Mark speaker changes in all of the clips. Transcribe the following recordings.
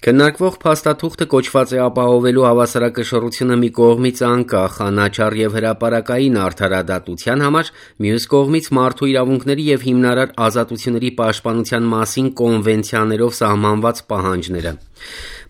Speaker 1: Քննարկվող փաստաթուղթը կոչված է ապահովելու հավասարակշռությունը մի կողմից անկախ, անաչառ եւ հրապարակային արդարադատության համար, մյուս կողմից մարդու իրավունքների եւ հիմնարար ազատությունների պաշտպանության մասին կոնվենցիաներով սահմանված պահանջները։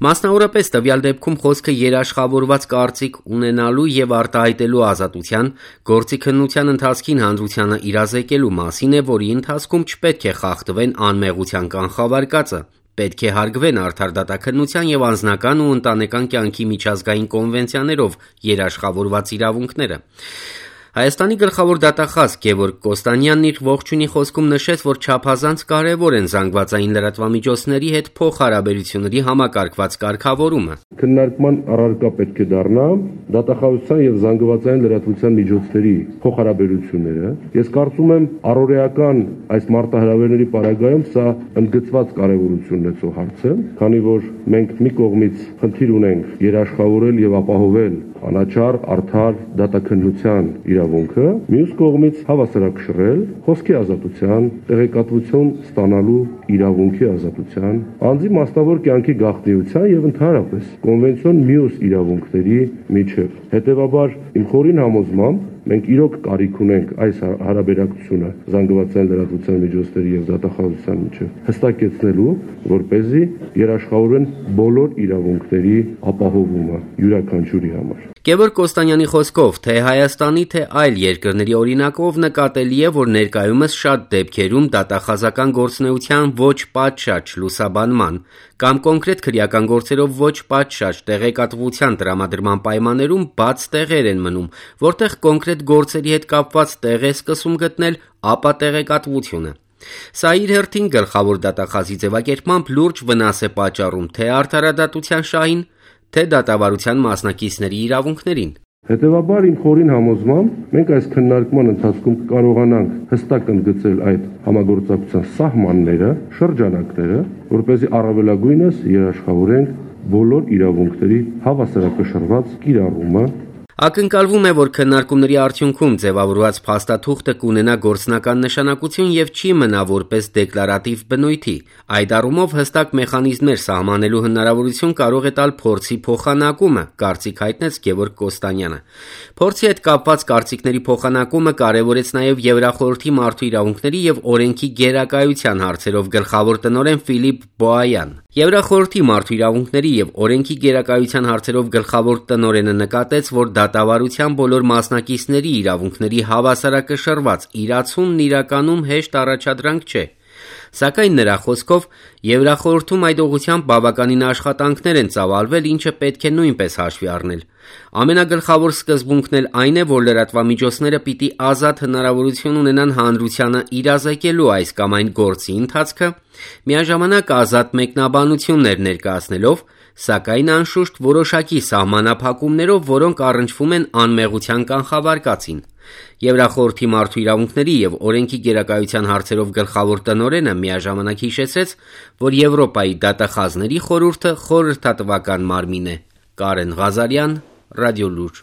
Speaker 1: Մասնավորապես տվյալ դեպքում խոսքը երաշխավորված կարծիք ունենալու եւ արտահայտելու ազատության, գործի քննության ընթացքին հանրությանը իրազեկելու մասին է, որի ընթացքում չպետք է խախտվեն անմեղության կանխավարկածը, պետք է հարգվեն արդար դատաքննության եւ անձնական ու ընտանեկան կյանքի միջազգային կոնվենցիաներով երաշխավորված իրավունքները։ Հայաստանի գլխավոր դատախազ Գևորգ Կոստանյանն իր ողջույնի խոսքում նշեց, որ չափազանց կարևոր են զանգվածային լրատվամիջոցների հետ փոխհարաբերությունների համակարգված կարգավորումը։
Speaker 2: Քննարկման առարկա պետք է դառնա դատախազության եւ զանգվածային լրատվության միջոցների փոխհարաբերությունները։ Ես կարծում եմ առօրեական այս մարտահրավերների պարագայում սա ընդգծված կարևորություն ունեցող հարց է, քանի որ մենք մի կողմից խնդիր ունենք երաշխավորել եւ ապահովել անաչառ, արդար դատաքննության իրավունքը, մյուս կողմից հավասարակշռել խոսքի ազատության, տեղեկատվություն ստանալու իրավունքի ազատության, անձի մասնավոր կյանքի գաղտնիության եւ ընդհանրապես կոնվենցիոն մյուս իրավունքների միջև։ Հետևաբար իմ խորին համոզմամբ մենք իրոք կարիք ունենք այս հարաբերակցությունը զանգվածային լրատվության միջոցների եւ դատախազության միջև հստակեցնելու, որպեսզի երաշխավորեն բոլոր իրավունքների ապահովումը յուրաքանչյուրի համար։
Speaker 1: Գևորգ Կոստանյանի խոսքով, թե Հայաստանի, թե այլ երկրների օրինակով նկատելի է, որ ներկայումս շատ դեպքերում դատախազական գործունեության ոչ պատշաճ լուսաբանման կամ կոնկրետ քրեական գործերով ոչ պատշաճ տեղեկատվության տրամադրման պայմաններում բաց տեղեր են մնում, որտեղ կոնկրետ գործերի հետ կապված տեղ է սկսում գտնել ապա տեղեկատվությունը։ Սա իր հերթին գլխավոր դատախազի ձևակերպմամբ լուրջ վնաս է պատճառում թե արդարադատության շահին, թե դատավարության մասնակիցների իրավունքներին։
Speaker 2: Հետևաբար իմ խորին համոզմամբ մենք այս քննարկման ընթացքում կարողանանք հստակ ընդգծել այդ համագործակցության սահմանները, շրջանակները, որպեսզի առավելագույնս երաշխավորենք բոլոր իրավունքների հավասարակշռված կիրառումը։
Speaker 1: Ակնկալվում է, որ քննարկումների արդյունքում ձևավորված փաստաթուղթը կունենա գործնական նշանակություն եւ չի մնա որպես դեկլարատիվ բնույթի։ Այդ առումով հստակ մեխանիզմներ սահմանելու հնարավորություն կարող է տալ փորձի փոխանակումը, կարծիք հայտնեց Գևորգ Կոստանյանը։ Փորձի հետ կապված կարծիքների փոխանակումը կարևորեց նաեւ Եվրախորհրդի մարդու իրավունքների եւ օրենքի գերակայության հարցերով գլխավոր տնօրեն Ֆիլիպ Բոայան։ Եվրախորհրդի մարդու իրավունքների եւ օրենքի գերակայության հարցերով գլխավոր տնօրենը նկատեց, որ դատավարության բոլոր մասնակիցների իրավունքների հավասարակշռված իրացումն իրականում հեշտ առաջադրանք չէ։ Սակայն նրա խոսքով Եվրախորհրդում այդ ուղղությամբ բավականին աշխատանքներ են ծավալվել, ինչը պետք է նույնպես հաշվի առնել։ Ամենագլխավոր սկզբունքն էլ այն է, որ լրատվամիջոցները պիտի ազատ հնարավորություն ունենան հանրությանը իրազեկելու այս կամ այն գործի ընթացքը, միաժամանակ ազատ մեկնաբանություններ ներկայացնելով, սակայն անշուշտ որոշակի սահմանափակումներով, որոնք առնչվում են անմեղության կանխավարկածին։ Եվրախորհրդի մարդու իրավունքների եւ օրենքի գերակայության հարցերով գլխավոր տնօրենը միաժամանակ հիշեցրեց, որ Եվրոպայի դատախազների խորհուրդը խորհրդատվական մարմին է։ Կարեն Ղազարյան, Ռադիոլուր։